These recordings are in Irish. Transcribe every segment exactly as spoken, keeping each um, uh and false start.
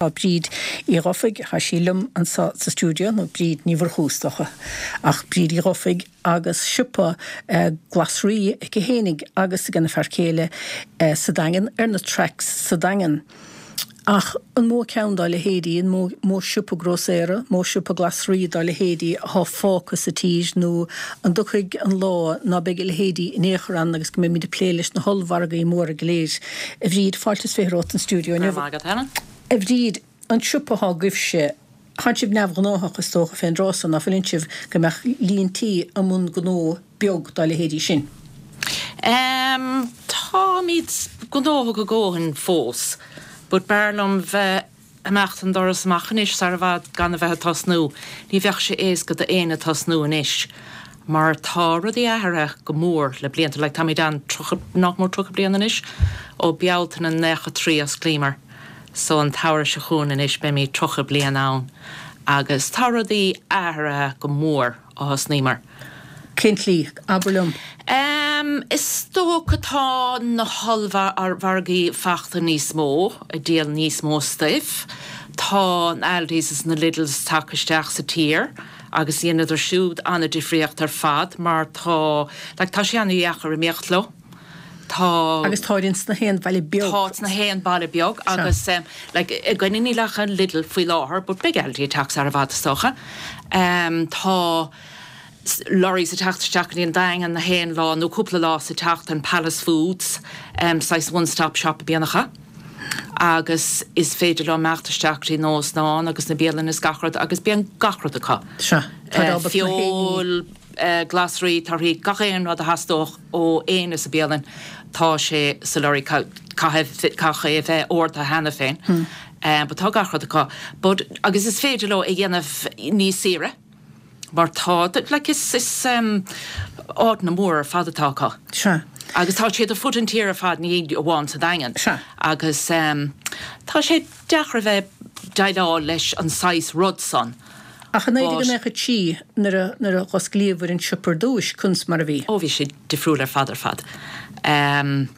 Tá Bríd Uí Dhufaigh, tá sí liom anseo sa stiúideo, nó Bríd Ní Mhurchú is dócha, ach Bríd Uí Dhufaigh agus siopa glasraí aici fhéinig agus ag a fear céile sa Daingean, ar na tracks sa Daingean. Ach an mó ceann dá leithéidí, an mó mó siopa grósaera, mó siopa glasraí dá leithéidí atá fágtha sa tír nó an dtiocfaidh an lá ná beidh a leithéidí in aon chor ann agus go mbeimid ag plé leis na hollmhargaí móra go léir. A Bhríd, fáilte is fiche romhat an stiúideo inniu. A Bhríd, an siopa atá agaibhse, tánn sibh neamhghnóthach is dócha fén dtráth so, ná fuileann sibh go mbeadh líon tí i mbun gnó beag dá leithéidí sin? Um, táimid gnóthach a dhóthain fós, but b'fhearr liom bheith amach an doras amach anois sar i bhfad gan a bheith ag tosnú. Ní bheadh sé éasca d'aon tosnú anois. Mar tá rudaí athraithe go mór le blianta, like táimid ann nach mór tríocha bliain anois ó Bealtaine nócha trí osclaíomar. So an samhradh seo chugainn anois beimid tríocha bliain ann. Agus tá rudaí athraithe go mór ó thosnaíomar. Cén tslí, abair liom. Um, is dócha tá na hollmhargaí fachta níos mó, ag díol níos mó stuif. Tá an Aldis is na Lidls tagtha isteach sa tír, agus dhéanadar siúd an-difríocht ar fad mar tá like, tá sé an-dheacair imeacht leo. Tá Agus tá ins na haon bhaile beag. Tá na haon baile beag agus um, like, againne níl ach an Lidl faoi láthair, but beidh Aldi ag teacht sar i bhfad is dócha. Um, tá lorries ag teacht isteach go dtí an Daingean na haon lá nó cúpla lá sa tseachtain Palace Foods, um, saghas one-stop shop a bíonn acu. Agus is féidir leo imeacht isteach dtí óstáin agus na bialanna is gach rud agus bíonn gach rud acu. Sea, tá Uh, ábalta na feoil, uh, glasraí, torthaí, gach aon rud a theastódh ó éinne sa bialann tá sé sa lorry caithfidh é bheith ordaithe cheana féin. Hmm. Um, but tá gach rud acu. But, agus is féidir leo a dhéanamh níos saoire. Mar tá like, is, is um, áiteanna mór ar fad atá acu. Sea. Agus tá siad ar fud an tír ar fad ní amháin sa Daingean. Sea. Agus um, tá sé deacair bheith déileáil leis an saghas rud san. Ach an éidir go mbeadh tí nuair a nuair a osclaíodh an siopa ar dtús conas mar a bhí. Ó bhí sé difriúil ar fad ar fad. Um,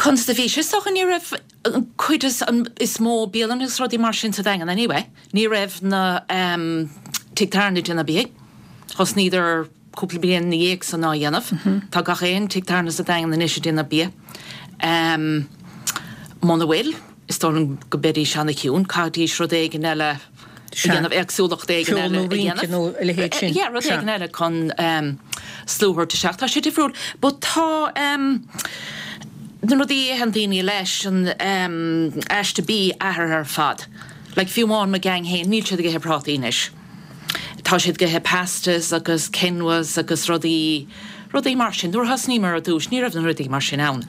Conas a bhí sé so ní raibh an cuid is, an, is mó bialann agus rudaí mar sin sa Daingean anyway. Ní raibh na um, tigh tábhairne déanamh bia. Thosnaíodar cúpla bliain ina dhiaidh san á dhéanamh. Tá gach aon tigh tábhairne sa Daingean anois ag déanamh bia. Um, Muna bhfuil, is dóigh go mbeidís an-chiúin, caithfidís rud éigin eile a dhéanamh éagsúlacht éigin Ceol eile nó a rince dhéanamh. nó a leithéid sin. Yeah, rud Sea. éigin eile chun um, slua a thabhairt isteach. Tá sé difriúil, but tá um, na rudaí a itheann daoine leis an um, aiste bia athraithe ar fad. Like fiú amháin mo gang féin, níl siad ag ithe prátaí anois. Tá siad ag ithe pastas agus quinoas agus rudaí rudaí mar sin. Nuair thosnaíomar ar dtús, ní raibh na rudaí mar sin ann.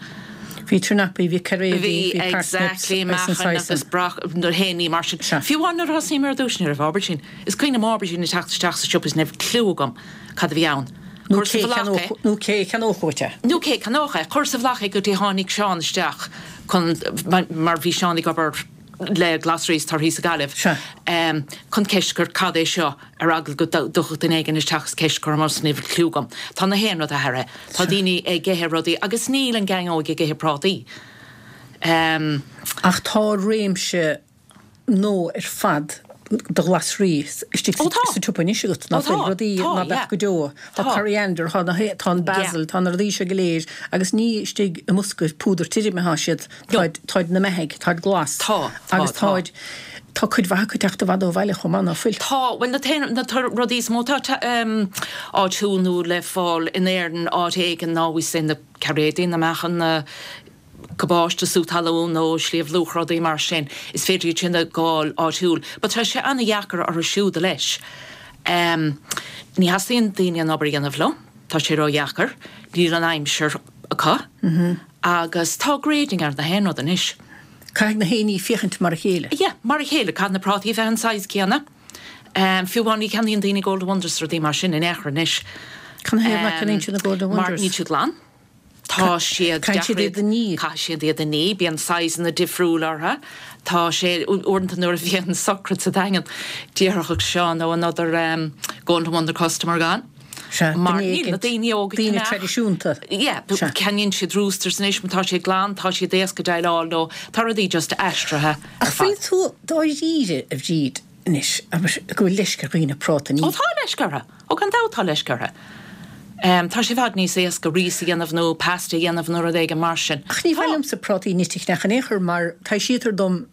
Bhí turnapaí, bhí cairéidí, Bhí bhí parsnips exactly agus an meáchan saghas agus sin. brach na héanaí mar sin. Sea. Fiú amháin nuair thosnaíomar ar dtús ní raibh aubergine. Is cuimhin liom aubergine ag teacht isteach sa siopa is ní raibh clue agam cad a bhí ann. Nó Cuir sa cé bhealach é. cheannódh- nó cé cheannódh uait é. Nó cé cheannódh é, cuir sa bhealach é go dtí tháinig Seán isteach chun mar mar bhí Seán ag obair le glasraí is torthaí sa Ghaillimh. Sea. Um, chun ceist gur cad é seo ar eagla go dtiocfadh duine éigin isteach is ceist chur orm ní raibh clue agam. Tá na haon rud athraithe. Tá daoine ag ithe rudaí agus níl an gang óg ag ithe prátaí. Um, Ach tá réimse nó ar fad de ghlasraí istigh Ó, tá. sa tsiopa anois agat ná Ó, tá, fuil rudaí tá, ná beadh yeah. go deo. Tá Tá. coriander, tá na hé- tá an basil, tá na rudaí seo go léir agus ní istigh i mbosca púdar tirim atá siad táid táid na meithigh, táid glas. Tá, tá, agus tá. táid tá cuid mhaith acu teacht i bhfad ó bhaile chomh maith ná fuil. Tá well na t- na tor- rudaí is mó tá um, áitiúil nó le fáil in Éirinn áit éigin ná bhí sé na cairéidí na meáchan na cabáiste sú talún nó Sliabh Luachra rudaí mar sin is féidir iad sin a fháil áitiúil, But tá sé an-dheacair orthu siúd leis. Um, ní theastaíonn daoine an obair a dhéanamh leo, tá sé ró-dheacair, níl an aimsir acu, mm -hmm. agus tá grading ar na haon rud anois. Caithfidh na héiní féachaint mar a chéile. Yeah, mar a chéile caithfidh na prátaí bheith an size céanna. Um, fiú amháin ní cheannaíonn daoine Golden Wonders rudaí mar sin in aon chor anois. Cad ina thaobh nach gceannaíonn siad na Golden Mar Wonders? níl siad glan. Tá siad Caithfidh siad iad a ní. Caithfidh siad iad a ní, bíonn sizeanna difriúil orthu. Tá sé uaireanta nuair a bhíonn sochraid sa Daingean déarfadh Seán ó another um, Golden Wonder customer gone. Sea, Mar duine níl na éigint, daoine óga daoine ceannach. traidisiúnta. Yeah, Sea. ceannaíonn siad Roosters anois má tá siad glan, tá siad éasca déileáil leo, tá rudaí just aistrithe ar Ach fad. bhfuil tú dáiríre, a Bhríd, anois, abair, go bhfuil leisce ar dhaoine práta a ní. Ó tá leisce orthu. Ó gan dabht tá leisce orthu. Um, tá sé i bhfad níos éasca rís a dhéanamh nó pasta a dhéanamh nó rud éigin mar sin. Ach ní Tá. mhaith liomsa prátaí nite a cheannach in aon chor mar taibhsítear dom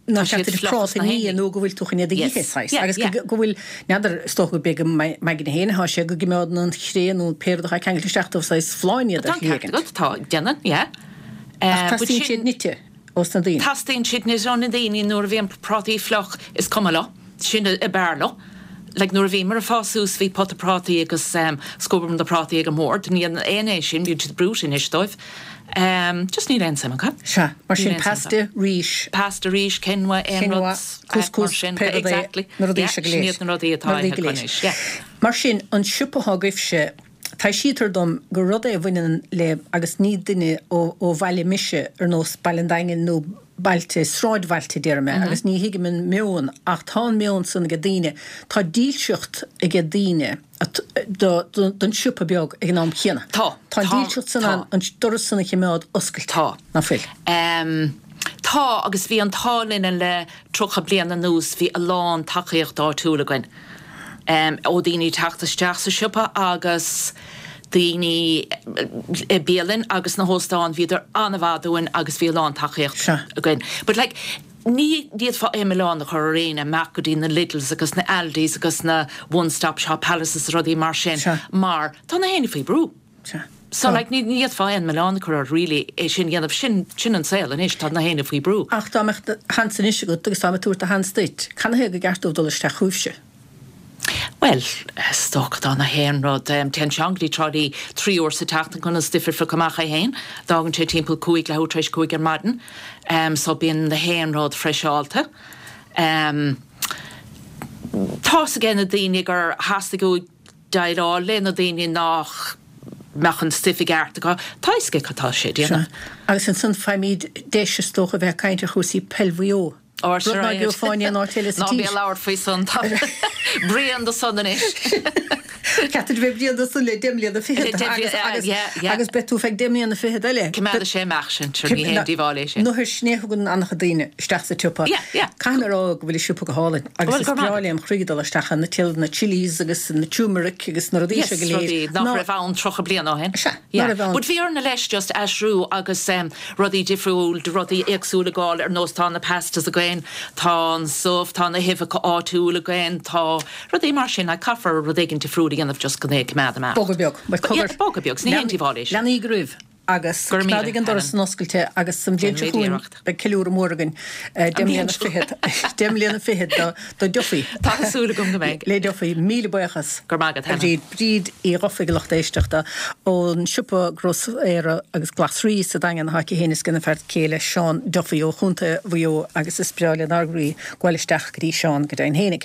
nach Tá siad ceart duit fliuch práta sna ní héinní. nó go bhfuil tú chun iad a Yes. ithe, saghas. Yeah, Agus yeah. go bhfuil n'fheadar is dócha go b'é go m'aigne féin atá sé go gcoimeádann an chré nó pé rud atá ceangailte isteach dóibh saghas folláin iad Tá ar an shlí ceart éigin. agat, tá, déanann, yeah. Ach Uh, but teastaíonn sin- siad nite ós na daoine. Teastaíonn siad nite ó na daoine nuair a bhíonn prátaí fliuch is cuma leo, sin ab fhearr leo. Like nuair a bhíomar ag fás suas bhí pota prátaí agus um, scuabadh na prátaí ag an mbord, ní an aon é sin bíonn siad brúite anois dóibh. Um, just níl aon suim acu. Sea, mar sin Níl aon suim pasta, rís, Pasta rís, quinoa, aon Quinoa, rud, couscous, mar sin, pé rud é, exactly. na rudaí Yeah, seo go sin léir. iad na rudaí atá Na rudaí ithe go léir. anois, yeah. Mar sin an siopa atá agaibhse, taibhsítear dom gur rud é a bhaineann le agus ní duine ó, ó bhaile mise ar nós Baile an Daingin nó bailte sráidbhailte déarfaidh mé, agus ní thuigim an meon ach tá an meon san ag daoine, Tá dílseacht ag daoine at- do- do- don siopa beag ag an am céanna. Tá, Tá tá, dílseacht san tá. an an doras san a choimeád oscailte. Tá. Nach bhfuil. Um, tá agus bhí an t-ádh linn le tríocha bliain anuas bhí a lán tacaíocht áitiúil againn. Um, ó daoine teacht isteach sa siopa agus daoine i bialann agus na hóstáin bhíodar an-mhaith dúinn agus bhí a lán tacaíocht Sea. againn. But like, ní d'fhéadfá aon mhilleán a chur ar éinne amach go dtí na Lidls agus na Aldis agus na One Stop Shop Palaces rudaí mar sin Sea. mar tá na héinne faoi brú. Sea. So like, ní d'fhéadfá aon mhilleán a chur ar really é sin dhéanamh sin sin an saol anois tá na héinne faoi brú. Ach dá mbeadh do sheans anois agat agus tá mé ag tabhairt do sheans duit, Cad ba cheart dóibh dul isteach chugaibhse. Well, is dócha tá na haon rud um, téann Seán go dtí Trá Lí trí uair sa tseachtain chun an stuif a phiocadh amach é féin, D'fhágann sé timpeall cúig leathuair tar éis cúig ar maidin, um, so bíonn na haon rud freiseáilte. Um, Tá aige na daoine gur theastaigh uathu déileáil le na daoine nach mbeadh an stuif i gceart acu, Tá cad tá sé déanamh. Agus ansan faighimid deis is dócha bheith ag caint ar chúrsaí peil Mhaigh Eo. Or Rud ná gheofá in aon áit eile sa Ná bí tír. labhairt faoi san brían do san anois. Ceapaim bheith blian san le deich mbliana fichead Le deich agus, mbliana, agus, yeah, yeah. agus beidh tú feadh deich mbliana fichead eile. Coimeádfaidh sé amach sin sure ní haon díobháil é sin. Nuair sin thugann an-chuid daoine isteach sa tsiopa. Yeah, yeah. Caithfidh mé a rá go bhfuil an siopa go hálainn agus Bhuel, is gur maith. breá lem chroí dul isteach na til na chilies agus na turmeric agus na rudaí Yes, seo go léir. rudaí nach raibh ann tríocha bliain ó shin. Sea, Yeah. nach raibh ann. But bhí orainn leis just aistriú agus um, rudaí difriúil de rudaí éagsúla gáil ar nós tá na pastas againn, tá an subh, tá na huibheacha áitiúil againn, tá rudaí mar sin a caithfear rud éigin difriúil a dhéanamh just go coimeád amach. Bogadh beag, But yeah, bogadh beag, ní haon díobháil é sin. Leanaí roimh agus Gur míle, coimeádaigí an doras Helen. san oscailte agus san bhliain seo Déanfaimid chugainn iarracht. beidh ceiliúradh mór againn eh, deich mbliana fichead deich mbliana fichead do do Duffy. Tá súil agam go mbeidh. Le Duffy míle buíochas. Gur maith agat, Helen. Bríd Bríd Uí Dhufaigh lucht éisteachta ón siopa grósaera agus glasraí sa Daingean atá aici féin is ag a fear céile Seán Duffy ó Chontae Mhaigh Eo agus is breá lenár gcroí gabháil isteach go dtí Seán go deimhin fhéinig.